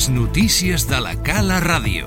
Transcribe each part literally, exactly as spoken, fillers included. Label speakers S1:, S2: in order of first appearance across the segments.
S1: Les notícies de la Cala Ràdio.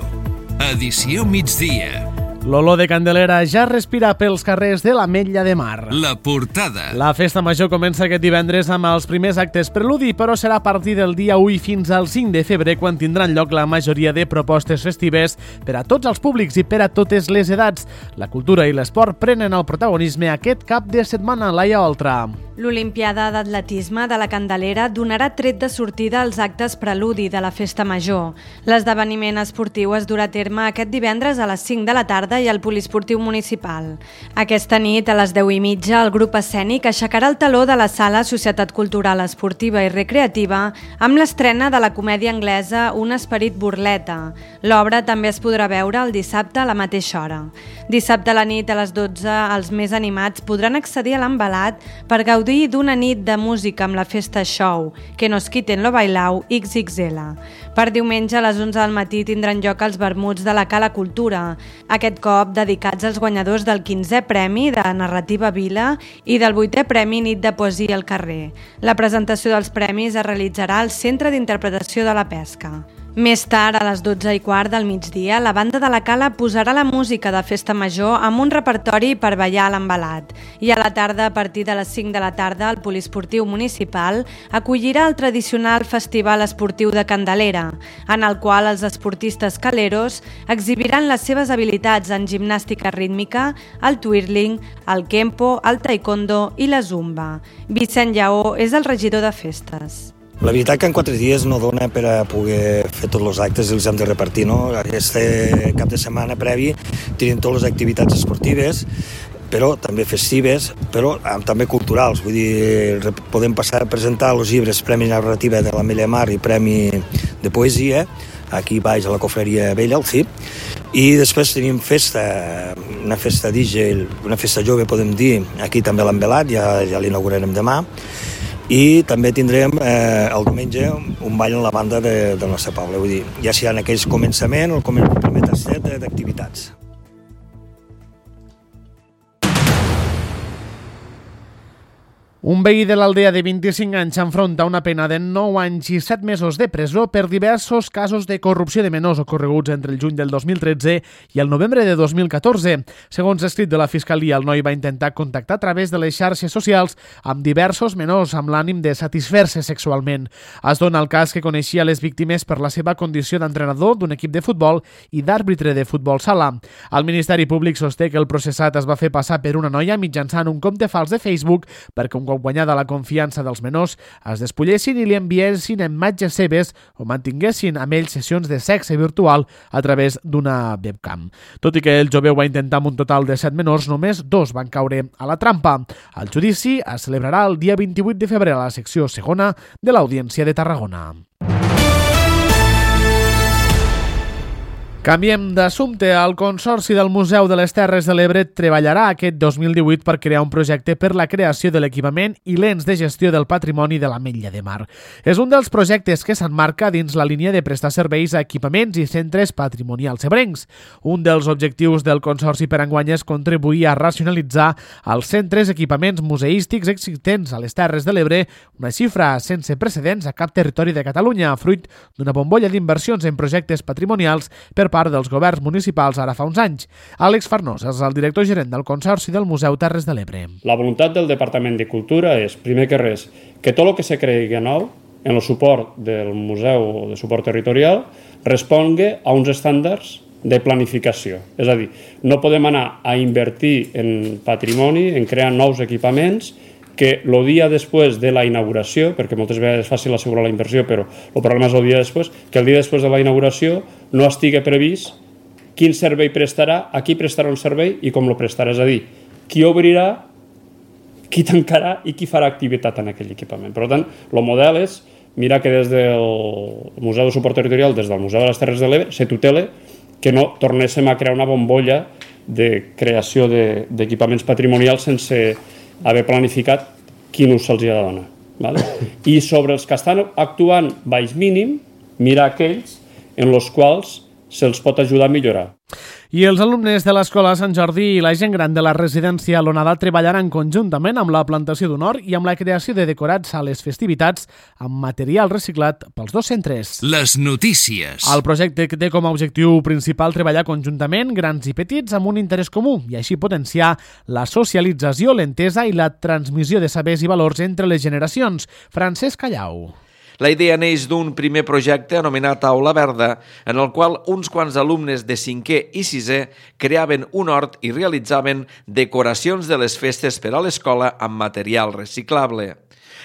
S1: Edició migdia.
S2: L'olor de Candelera ja respira pels carrers de l'Ametlla de Mar.
S1: La portada.
S2: La festa major comença aquest divendres amb els primers actes preludi, però serà a partir del dia u fins al cinc de febrer quan tindran lloc la majoria de propostes festives per a tots els públics i per a totes les edats. La cultura i l'esport prenen el protagonisme aquest cap de setmana. Laia Oltra.
S3: L'Olimpiada d'Atletisme de la Candelera donarà tret de sortida als actes preludi de la festa major. L'esdeveniment esportiu es durà a terme aquest divendres a les cinc de la tarda i al poliesportiu municipal. Aquesta nit, a les deu i mitja, el grup escènic aixecarà el taló de la sala Societat Cultural Esportiva i Recreativa amb l'estrena de la comèdia anglesa Un esperit burleta. L'obra també es podrà veure el dissabte a la mateixa hora. Dissabte a la nit, a les dotze, els més animats podran accedir a l'embalat per gaudir d'una nit de música amb la festa show Que nos quiten lo bailau ics ics ele. Per diumenge a les onze del matí tindran lloc els vermuts de la Cala Cultura, aquest cop dedicats als guanyadors del quinzè Premi de Narrativa Vila i del vuitè Premi Nit de Poesia al Carrer. La presentació dels premis es realitzarà al Centre d'Interpretació de la Pesca. Més tard, a les dotze i quart del migdia, la banda de la Cala posarà la música de festa major amb un repertori per ballar a l'embalat. I a la tarda, a partir de les cinc de la tarda, el poliesportiu municipal acollirà el tradicional Festival Esportiu de Candelera, en el qual els esportistes caleros exhibiran les seves habilitats en gimnàstica rítmica, el twirling, el kempo, el taekwondo i la zumba. Vicent Lleó és el regidor de festes.
S4: La veritat que en quatre dies no dona per a poder fer tots els actes i els hem de repartir, no? Aquest cap de setmana previ tenim totes les activitats esportives, però també festives, però també culturals. Vull dir, podem passar a presentar els llibres Premi Narrativa de l'Ametlla de Mar i Premi de Poesia, aquí baix a la Cofreria Vella, al C I P, i després tenim festa, una festa D J, una festa jove, podem dir, aquí també a l'Embelat, ja, ja l'inaugurarem demà, i també tindrem eh, el diumenge un ball en la banda de, del nostre poble. Vull dir, ja si hi ha aquells començament o el primer tastet d'activitats.
S2: Un veí de l'Aldea de vint-i-cinc anys s'enfronta a una pena de nou anys i set mesos de presó per diversos casos de corrupció de menors ocorreguts entre el juny del dos mil tretze i el novembre de dos mil catorze. Segons escrit de la Fiscalia, el noi va intentar contactar a través de les xarxes socials amb diversos menors amb l'ànim de satisfer-se sexualment. Es dona el cas que coneixia les víctimes per la seva condició d'entrenador d'un equip de futbol i d'àrbitre de futbol sala. El Ministeri Públic sosté que el processat es va fer passar per una noia mitjançant un compte fals de Facebook perquè un cop guanyada la confiança dels menors es despullessin i li enviessin imatges seves o mantinguessin amb ells sessions de sexe virtual a través d'una webcam. Tot i que el jove ho va intentar amb un total de set menors, només dos van caure a la trampa. El judici es celebrarà el dia vint-i-vuit de febrer a la secció segona de l'Audiència de Tarragona. Canviem d'assumpte. El Consorci del Museu de les Terres de l'Ebre treballarà aquest dos mil divuit per crear un projecte per la creació de l'equipament i l'ens de gestió del patrimoni de l'Ametlla de Mar. És un dels projectes que s'emmarca dins la línia de prestar serveis a equipaments i centres patrimonials ebrencs. Un dels objectius del Consorci per enguany és contribuir a racionalitzar els centres equipaments museístics existents a les Terres de l'Ebre, una xifra sense precedents a cap territori de Catalunya, fruit d'una bombolla d'inversions en projectes patrimonials per part dels governs municipals ara fa uns anys. Àlex Farnós és el director gerent del Consorci del Museu Terres de l'Ebre.
S5: La voluntat del Departament de Cultura és, primer que res, que tot el que se creï nou en el suport del museu de suport territorial respongui a uns estàndards de planificació. És a dir, no podem anar a invertir en patrimoni, en crear nous equipaments que el dia després de la inauguració, perquè moltes vegades és fàcil assegurar la inversió, però el problema és el dia després, que el dia després de la inauguració no estigui previst quin servei prestarà, a qui prestarà un servei i com el prestarà. És a dir, qui obrirà, qui tancarà i qui farà activitat en aquell equipament. Per tant, el model és mirar que des del Museu de Suport Territorial, des del Museu de les Terres de l'Ebre, se tutele que no tornéssim a crear una bombolla de creació d'equipaments patrimonials sense haver planificat quin ús se'ls ha de donar. Vale? I sobre els que estan actuant baix mínim, mirar aquells en els quals se'ls pot ajudar a millorar.
S2: I els alumnes de l'Escola Sant Jordi i la gent gran de la residència L'Onada treballaran conjuntament amb la plantació d'un hort i amb la creació de decorats a les festivitats amb material reciclat pels dos centres.
S1: Les notícies.
S2: El projecte té com a objectiu principal treballar conjuntament, grans i petits, amb un interès comú i així potenciar la socialització, l'entesa i la transmissió de sabers i valors entre les generacions. Francesc Callau.
S6: La idea neix d'un primer projecte anomenat Aula Verda, en el qual uns quants alumnes de cinquè i sisè creaven un hort i realitzaven decoracions de les festes per a l'escola amb material reciclable.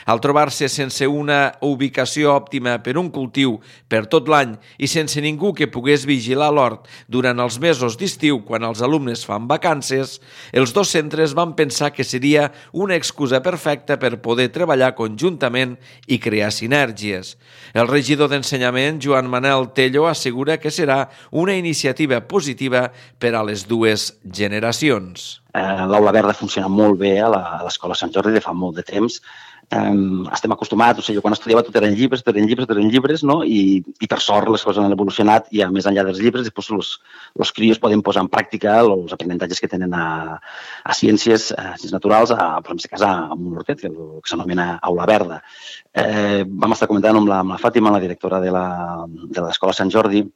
S6: Al trobar-se sense una ubicació òptima per un cultiu per tot l'any i sense ningú que pogués vigilar l'hort durant els mesos d'estiu quan els alumnes fan vacances, els dos centres van pensar que seria una excusa perfecta per poder treballar conjuntament i crear sinergies. El regidor d'Ensenyament, Joan Manel Tello, assegura que serà una iniciativa positiva per a les dues generacions.
S7: L'Aula Verda funciona molt bé a l'Escola Sant Jordi de fa molt de temps. Um, estem acostumats, o sigui, jo quan estudiava tot eren llibres, tot eren llibres, tot eren llibres, no? I, i per sort les coses han evolucionat i a més enllà dels llibres després els, els crios poden posar en pràctica els aprenentatges que tenen a, a ciències, a ciències naturals, a, per exemple, a, a un hortet, que, que s'anomena Aula Verda. Eh, vam estar comentant amb la, amb la Fàtima, la directora de l'Escola Sant Jordi,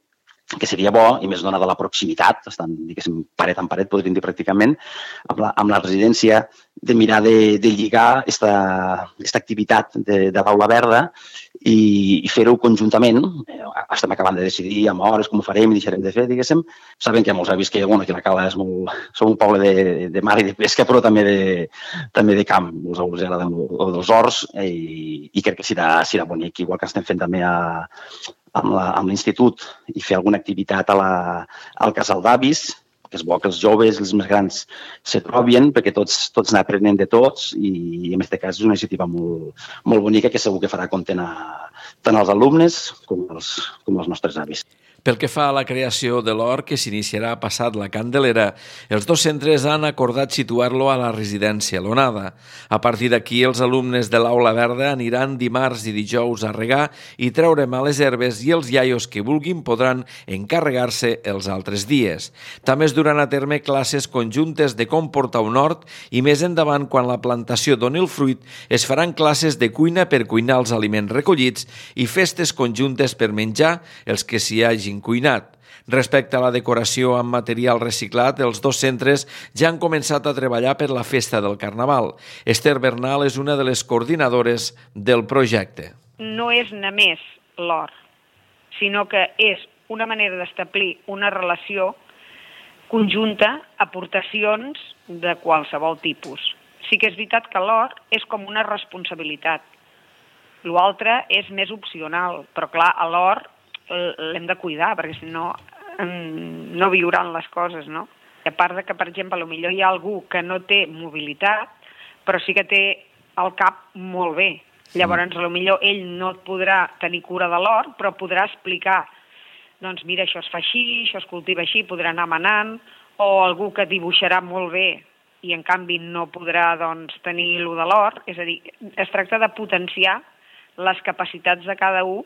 S7: que seria bo, i més donada la proximitat, estan, diguéssim, paret en paret, podríem dir pràcticament, amb la, amb la residència, de mirar de, de lligar aquesta activitat de, de l'Aula Verda i, i fer-ho conjuntament. Estem acabant de decidir amb hores com ho farem i deixarem de fer, diguéssim. Sabem que hi ha molts avis que, bueno, que la Cala és molt... Som un poble de, de mar i de pesca, però també de, també de camp. Els abuels agraden dels horts i, i crec que serà, serà bonic, igual que estem fent també a amb l'institut i fer alguna activitat a la, al casal d'avis, que és bo que els joves i els més grans se trobin, perquè tots, tots n'aprenen de tots i en aquest cas és una iniciativa molt, molt bonica que segur que farà content a, tant als alumnes com als, com als nostres avis.
S6: Pel que fa a la creació de l'hort, que s'iniciarà passat la Candelera, els dos centres han acordat situar-lo a la residència L'Onada. A partir d'aquí, els alumnes de l'Aula Verda aniran dimarts i dijous a regar i treure males herbes i els iaios que vulguin podran encarregar-se els altres dies. També es duran a terme classes conjuntes de com portar un hort i més endavant, quan la plantació doni el fruit, es faran classes de cuina per cuinar els aliments recollits i festes conjuntes per menjar els que s'hi hagin cuinat. Respecte a la decoració amb material reciclat, els dos centres ja han començat a treballar per la festa del Carnaval. Esther Bernal és una de les coordinadores del projecte.
S8: No és només l'hort, sinó que és una manera d'establir una relació conjunta, aportacions de qualsevol tipus. Sí que és veritat que l'hort és com una responsabilitat. L'altre és més opcional, però clar, a l'hort l'hem de cuidar, perquè si no, no viuran les coses, no? I a part de que, per exemple, potser hi ha algú que no té mobilitat, però sí que té el cap molt bé. Llavors, potser ell no podrà tenir cura de l'hort, però podrà explicar, doncs mira, això es fa així, això es cultiva així, podrà anar manant, o algú que dibuixarà molt bé i, en canvi, no podrà doncs, tenir allò de l'hort. És a dir, es tracta de potenciar les capacitats de cada un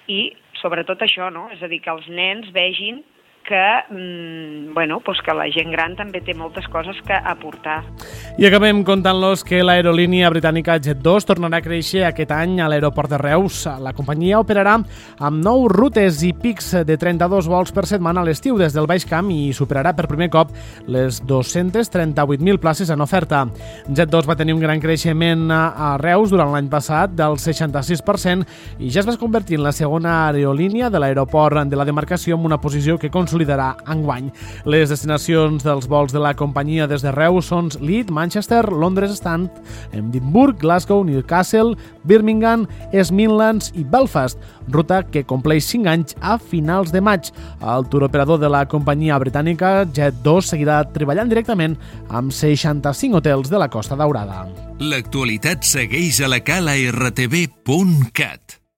S8: i sobretot això, no? És a dir, que els nens vegin que, mmm, bueno, pues que la gent gran també té moltes coses que aportar.
S2: I acabem contant-los que l'aerolínia britànica Jet dos tornarà a créixer aquest any a l'aeroport de Reus. La companyia operarà amb nou rutes i pics de trenta-dos vols per setmana a l'estiu des del Baix Camp i superarà per primer cop les dos-centes trenta-vuit mil places en oferta. Jet dos va tenir un gran creixement a Reus durant l'any passat del seixanta-sis per cent i ja es va convertir en la segona aerolínia de l'aeroport de la demarcació amb una posició que consolidarà enguany. Les destinacions dels vols de la companyia des de Reus són Leeds, Manchester, Londres, Stand, Edimburg, Glasgow, Newcastle, Birmingham, East Midlands i Belfast, ruta que compleix cinc anys a finals de maig. El turoperador de la companyia britànica Jet dos seguirà treballant directament amb seixanta-cinc hotels de la Costa Daurada.
S1: L'actualitat segueix a la cala r t v punt cat.